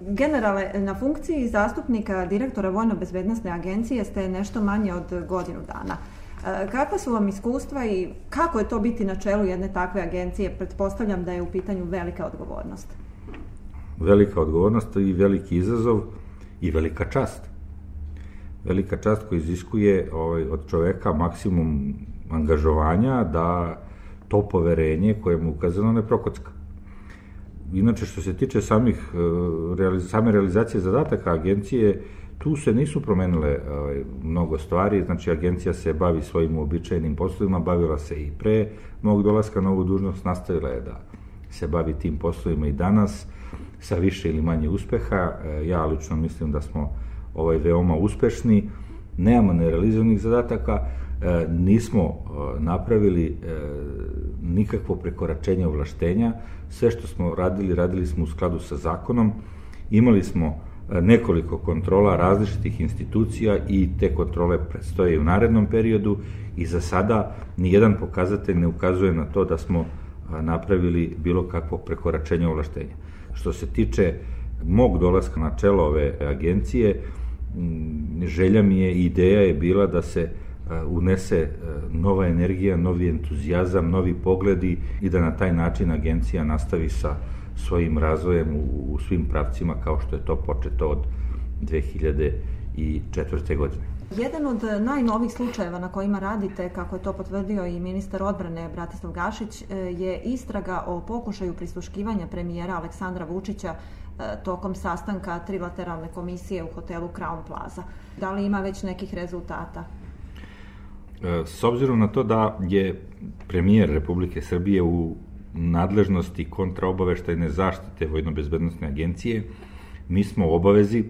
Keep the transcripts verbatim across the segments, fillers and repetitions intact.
Generale, na funkciji zastupnika direktora Vojno-bezbednosne agencije ste nešto manje od godinu dana. Kakva su vam iskustva i kako je to biti na čelu jedne takve agencije? Pretpostavljam da je u pitanju velika odgovornost. Velika odgovornost i veliki izazov i velika čast. Velika čast koja iziskuje ovaj, od čoveka maksimum angažovanja da to poverenje koje mu ukazano ne prokocka. Inače, što se tiče samih, same realizacije zadataka agencije, tu se nisu promenile ovaj, mnogo stvari, znači agencija se bavi svojim uobičajenim poslovima, bavila se i pre mog dolaska na ovu dužnost, nastavila je da se bavi tim poslovima i danas, sa više ili manje uspeha. Ja lično mislim da smo ovaj, veoma uspešni, nemamo nerealizovanih zadataka, nismo napravili nikakvo prekoračenje ovlaštenja, sve što smo radili, radili smo u skladu sa zakonom, imali smo nekoliko kontrola različitih institucija i te kontrole predstoje u narednom periodu i za sada nijedan pokazatelj ne ukazuje na to da smo napravili bilo kakvo prekoračenje ovlaštenja. Što se tiče mog dolaska na čelo ove agencije, želja mi je i ideja je bila da se unese nova energija, novi entuzijazam, novi pogledi i da na taj način agencija nastavi sa svojim razvojem u, u svim pravcima kao što je to početo od dve hiljade četvrte. godine. Jedan od najnovijih slučajeva na kojima radite, kako je to potvrdio i ministar odbrane Bratislav Gašić, je istraga o pokušaju prisluškivanja premijera Aleksandra Vučića tokom sastanka trilateralne komisije u hotelu Crown Plaza. Da li ima već nekih rezultata? S obzirom na to da je premijer Republike Srbije u nadležnosti kontraobaveštajne zaštite Vojno-bezbednosne agencije, mi smo u obavezi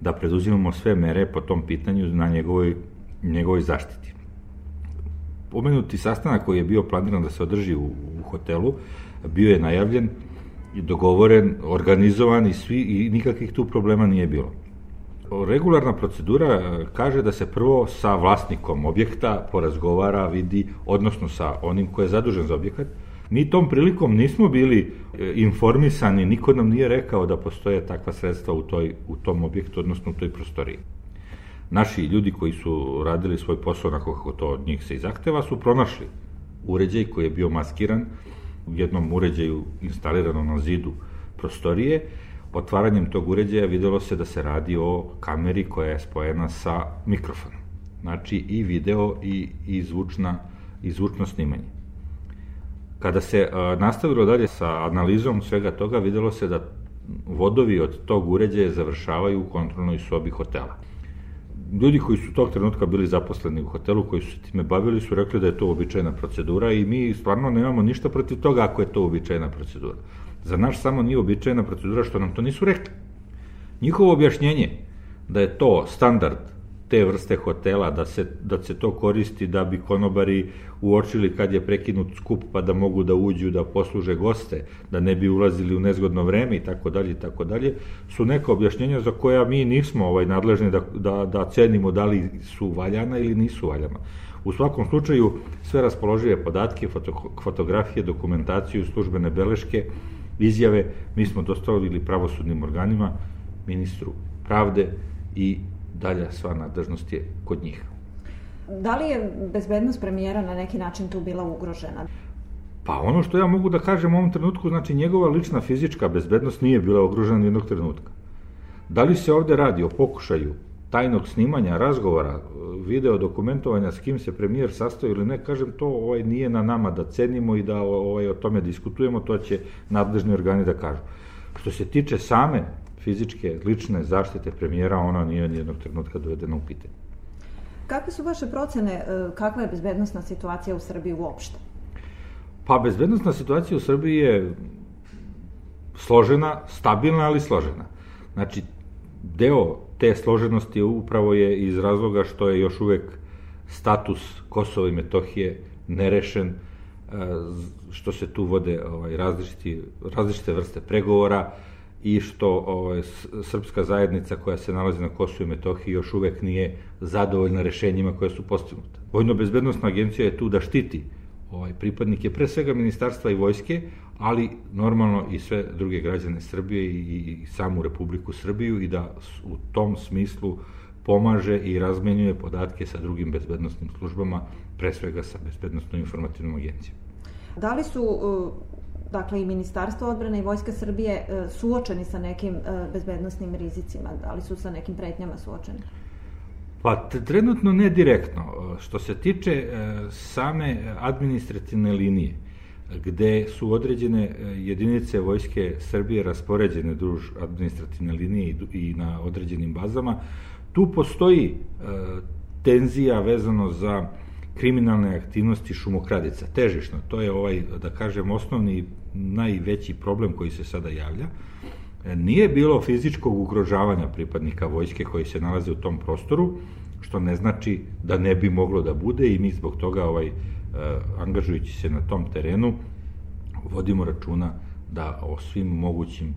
da preduzimamo sve mere po tom pitanju na njegovoj, njegovoj zaštiti. Pomenuti sastanak koji je bio planiran da se održi u, u hotelu, bio je najavljen i dogovoren, organizovan i svi i nikakvih tu problema nije bilo. Regularna procedura kaže da se prvo sa vlasnikom objekta porazgovara, vidi, odnosno sa onim ko je zadužen za objekat. Mi tom prilikom nismo bili informisani, niko nam nije rekao da postoje takva sredstva u, toj, u tom objektu, odnosno u toj prostoriji. Naši ljudi koji su radili svoj posao onako kako to od njih se i zahteva su pronašli uređaj koji je bio maskiran u jednom uređaju instaliranom na zidu prostorije. Otvaranjem tog uređaja videlo se da se radi o kameri koja je spojena sa mikrofonom. Znači i video i, i, zvučna, i zvučno snimanje. Kada se a, nastavilo dalje sa analizom svega toga, videlo se da vodovi od tog uređaja završavaju u kontrolnoj sobi hotela. Ljudi koji su tog trenutka bili zaposleni u hotelu, koji su se time bavili, su rekli da je to uobičajena procedura i mi stvarno nemamo ništa protiv toga ako je to uobičajena procedura. Za naš samo nije uobičajena procedura što nam to nisu rekli. Njihovo objašnjenje da je to standard te vrste hotela, da se, da se to koristi da bi konobari uočili kad je prekinut skup pa da mogu da uđu, da posluže goste, da ne bi ulazili u nezgodno vreme i tako dalje i tako dalje, su neka objašnjenja za koja mi nismo ovaj, nadležni da, da, da cenimo da li su valjana ili nisu valjana. U svakom slučaju, sve raspoložive podatke, foto, fotografije, dokumentaciju, službene beleške, izjave, mi smo dostavili pravosudnim organima, ministru pravde i dalja sva nadležnost je kod njih. Da li je bezbednost premijera na neki način tu bila ugrožena? Pa ono što ja mogu da kažem u ovom trenutku, znači njegova lična fizička bezbednost nije bila ugrožena jednog trenutka. Da li se ovde radi o pokušaju tajnog snimanja, razgovora, video dokumentovanja s kim se premijer sastoji ili ne, kažem to ovaj, nije na nama da cenimo i da ovaj, o tome diskutujemo, to će nadležni organi da kažu. Što se tiče same fizičke, lične zaštite premijera, ona nije nijednog trenutka dovedena u pitanje. Kakve su vaše procene, kakva je bezbednosna situacija u Srbiji uopšte? Pa bezbednosna situacija u Srbiji je složena, stabilna, ali složena. Znači, deo te složenosti upravo je iz razloga što je još uvek status Kosova i Metohije nerešen, što se tu vode ovaj, različiti, različite vrste pregovora i što ovaj, srpska zajednica koja se nalazi na Kosovu i Metohiji još uvek nije zadovoljna rešenjima koje su postignuta. Vojno-bezbednosna agencija je tu da štiti ovaj, pripadnike pre svega ministarstva i vojske, ali normalno i sve druge građane Srbije i, i samu Republiku Srbiju i da u tom smislu pomaže i razmenjuje podatke sa drugim bezbednosnim službama, pre svega sa Bezbednosnom informativnom agencijom. Da li su dakle i Ministarstvo odbrane i Vojska Srbije suočeni sa nekim bezbednosnim rizicima? Da li su sa nekim pretnjama suočeni? Pa trenutno ne direktno. Što se tiče same administrativne linije, gde su određene jedinice Vojske Srbije raspoređene duž administrativne linije i na određenim bazama, tu postoji tenzija vezano za kriminalne aktivnosti šumokradica, težišno. To je ovaj, da kažem, osnovni najveći problem koji se sada javlja. Nije bilo fizičkog ugrožavanja pripadnika vojske koji se nalaze u tom prostoru, što ne znači da ne bi moglo da bude i mi zbog toga, ovaj, angažujući se na tom terenu, vodimo računa da o svim mogućim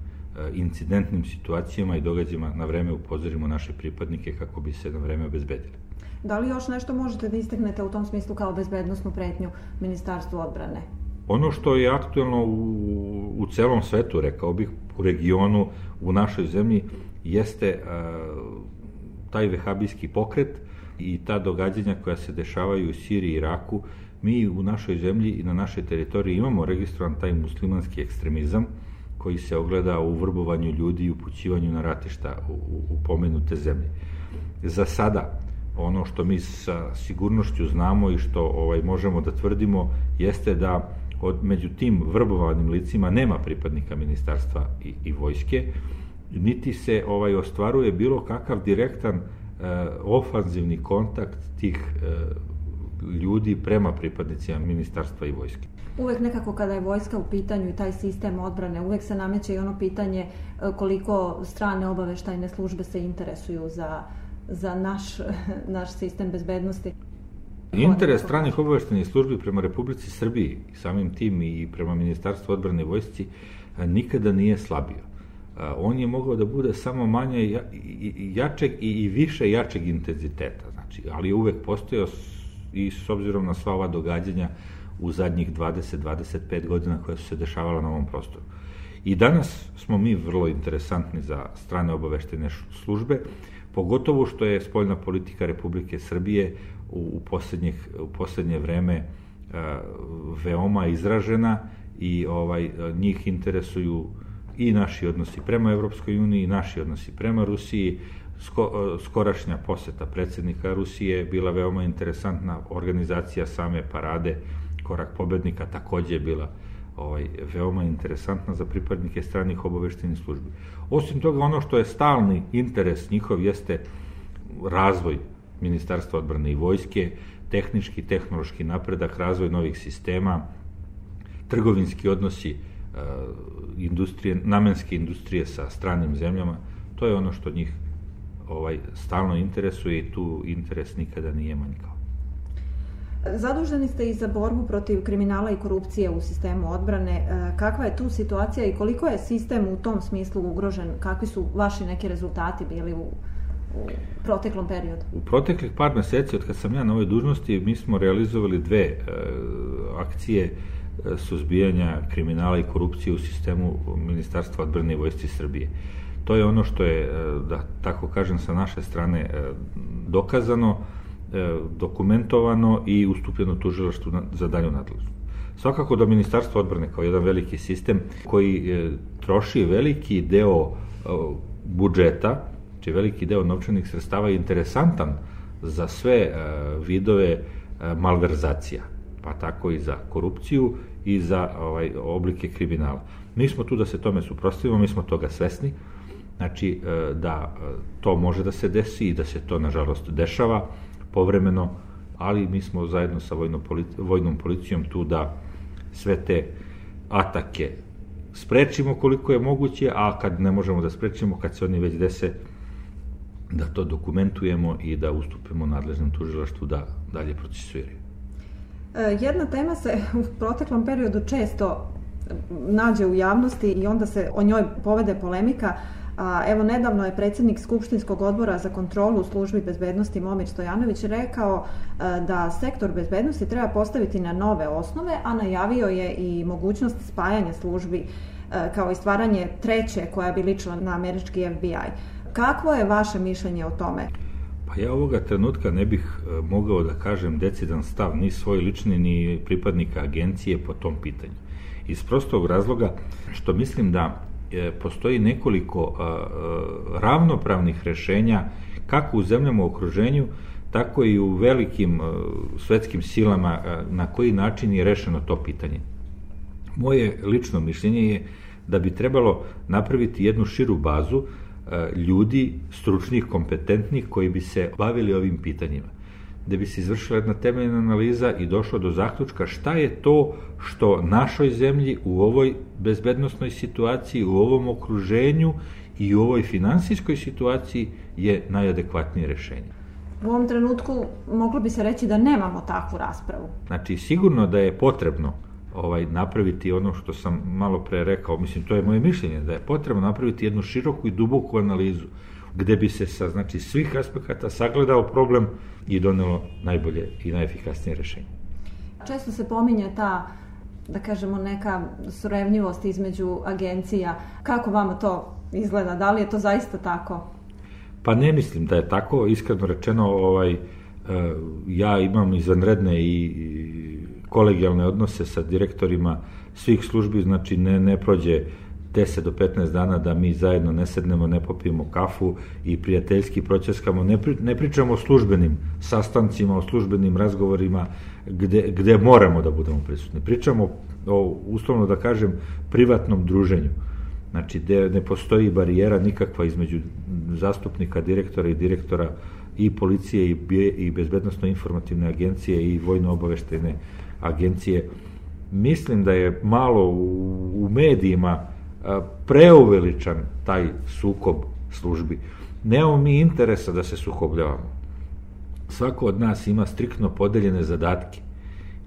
incidentnim situacijama i događajima na vreme upozorimo naše pripadnike kako bi se na vreme obezbedili. Da li još nešto možete da istaknete u tom smislu kao bezbednosnu pretnju Ministarstvu odbrane? Ono što je aktuelno u, u celom svetu, rekao bih, u regionu, u našoj zemlji, jeste a, taj vehabijski pokret i ta događanja koja se dešavaju u Siriji i Iraku. Mi u našoj zemlji i na našoj teritoriji imamo registrovan taj muslimanski ekstremizam koji se ogleda u vrbovanju ljudi i upućivanju na ratišta u, u, u pomenute zemlje. Za sada, ono što mi sa sigurnošću znamo i što ovaj, možemo da tvrdimo, jeste da od, među tim vrbovanim licima nema pripadnika ministarstva i, i vojske, niti se ovaj, ostvaruje bilo kakav direktan e, ofanzivni kontakt tih e, ljudi prema pripadnicima ministarstva i vojske. Uvek nekako kada je vojska u pitanju i taj sistem odbrane, uvek se nameće i ono pitanje koliko strane obaveštajne službe se interesuju za, za naš, naš sistem bezbednosti. Interes stranih obaveštajnih službi prema Republici Srbiji, samim tim i prema Ministarstvu odbrane i vojsci, nikada nije slabio. On je mogao da bude samo manje jačeg i više jačeg intenziteta, znači, ali je uvek postojao i s obzirom na sva ova događanja u zadnjih dvadeset do dvadeset pet godina koja su se dešavala na ovom prostoru. I danas smo mi vrlo interesantni za strane obaveštajne službe, pogotovo što je spoljna politika Republike Srbije u, u, u poslednje vreme a, veoma izražena i ovaj, njih interesuju i naši odnosi prema Evropskoj uniji, i naši odnosi prema Rusiji. Sko, skorašnja poseta predsjednika Rusije je bila veoma interesantna, organizacija same parade Korak pobednika takođe je bila ovaj, veoma interesantna za pripadnike stranih obaveštajnih službi. Osim toga, ono što je stalni interes njihov jeste razvoj Ministarstva odbrane i vojske, tehnički, tehnološki napredak, razvoj novih sistema, trgovinski odnosi uh, industrije, namenske industrije sa stranim zemljama. To je ono što njih ovaj, stalno interesuje i tu interes nikada nije manjkao. Zaduženi ste i za borbu protiv kriminala i korupcije u sistemu odbrane. Kakva je tu situacija i koliko je sistem u tom smislu ugrožen? Kakvi su vaši neki rezultati bili u, u proteklom periodu? U proteklih par meseci od kad sam ja na ovoj dužnosti mi smo realizovali dve e, akcije e, suzbijanja kriminala i korupcije u sistemu Ministarstva odbrane i vojsci Srbije. To je ono što je, da tako kažem, sa naše strane dokazano, dokumentovano i ustupljeno tužilaštvu za dalju nadležnost. Svakako da Ministarstvo odbrane kao jedan veliki sistem koji troši veliki deo budžeta, či veliki deo novčanih sredstava je interesantan za sve vidove malverzacija, pa tako i za korupciju i za ovaj, oblike kriminala. Mi smo tu da se tome suprotstavimo, mi smo toga svesni, znači da to može da se desi i da se to nažalost dešava povremeno, ali mi smo zajedno sa vojnom, vojnom policijom tu da sve te atake sprečimo koliko je moguće, a kad ne možemo da sprečimo, kad se oni već dese, da to dokumentujemo i da ustupimo nadležnom tužilaštvu da dalje procesuiraju. Jedna tema se u proteklom periodu često nađe u javnosti i onda se o njoj povede polemika, A, evo, nedavno je predsjednik Skupštinskog odbora za kontrolu u službi bezbednosti Momir Stojanović rekao a, da sektor bezbednosti treba postaviti na nove osnove, a najavio je i mogućnost spajanja službi a, kao i stvaranje treće koja bi ličila na američki F B I. Kakvo je vaše mišljenje o tome? Pa ja ovoga trenutka ne bih mogao da kažem decidan stav ni svoj lični ni pripadnika agencije po tom pitanju. Iz prostog razloga što mislim da postoji nekoliko ravnopravnih rešenja kako u zemljama u okruženju, tako i u velikim svetskim silama na koji način je rešeno to pitanje. Moje lično mišljenje je da bi trebalo napraviti jednu širu bazu ljudi, stručnih, kompetentnih, koji bi se bavili ovim pitanjima. Da bi se izvršila jedna temeljna analiza i došlo do zaključka šta je to što našoj zemlji u ovoj bezbednosnoj situaciji, u ovom okruženju i u ovoj finansijskoj situaciji je najadekvatnije rešenje. U ovom trenutku moglo bi se reći da nemamo takvu raspravu. Znači, sigurno da je potrebno ovaj, napraviti ono što sam malo pre rekao, mislim, to je moje mišljenje, da je potrebno napraviti jednu široku i duboku analizu, gde bi se sa znači, svih aspekata sagledao problem i donelo najbolje i najefikasnije rešenje. Često se pominje ta, da kažemo, neka surevnjivost između agencija. Kako vama to izgleda? Da li je to zaista tako? Pa ne mislim da je tako. Iskreno rečeno, ovaj, ja imam izvanredne i kolegijalne odnose sa direktorima svih službi, znači ne, ne prođe deset do petnaest dana da mi zajedno ne sednemo, ne popijemo kafu i prijateljski proćeskamo, ne, pri, ne pričamo o službenim sastancima, o službenim razgovorima gde, gde moramo da budemo prisutni. Pričamo o, uslovno da kažem, privatnom druženju. Znači, gde ne postoji barijera nikakva između zastupnika, direktora i direktora i policije i, i bezbednosno-informativne agencije i vojno-obaveštajne agencije. Mislim da je malo u, u medijima preuveličan taj sukob službi. Nemamo mi interesa da se sukobljavamo. Svako od nas ima striktno podeljene zadatke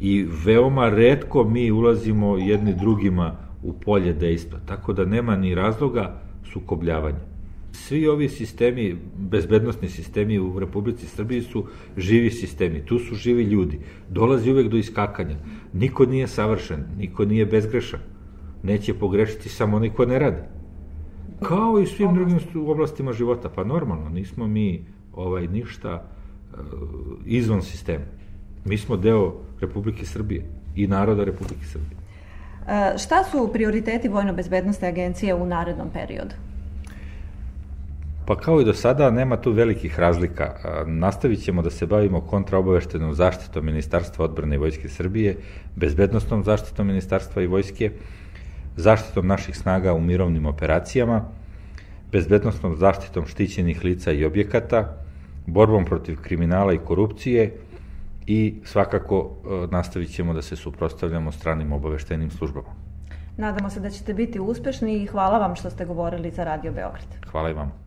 i veoma retko mi ulazimo jedni drugima u polje dejstva, tako da nema ni razloga sukobljavanja. Svi ovi sistemi, bezbednosni sistemi u Republici Srbiji su živi sistemi, tu su živi ljudi, dolazi uvek do iskakanja, niko nije savršen, niko nije bezgrešan, neće pogrešiti samo onaj ko ne radi. Kao i svim drugim oblastima života, pa normalno, nismo mi ovaj, ništa uh, izvan sistema. Mi smo deo Republike Srbije i naroda Republike Srbije. E, šta su prioriteti Vojno-bezbednosne agencije u narednom periodu? Pa kao i do sada, nema tu velikih razlika. Nastavit ćemo da se bavimo kontraobaveštajnom zaštitom Ministarstva odbrane i Vojske Srbije, bezbednosnom zaštitom Ministarstva i Vojske, zaštitom naših snaga u mirovnim operacijama, bezbednosnom zaštitom štićenih lica i objekata, borbom protiv kriminala i korupcije i svakako nastavit ćemo da se suprotstavljamo stranim obaveštajnim službama. Nadamo se da ćete biti uspešni i hvala vam što ste govorili za Radio Beograd. Hvala i vam.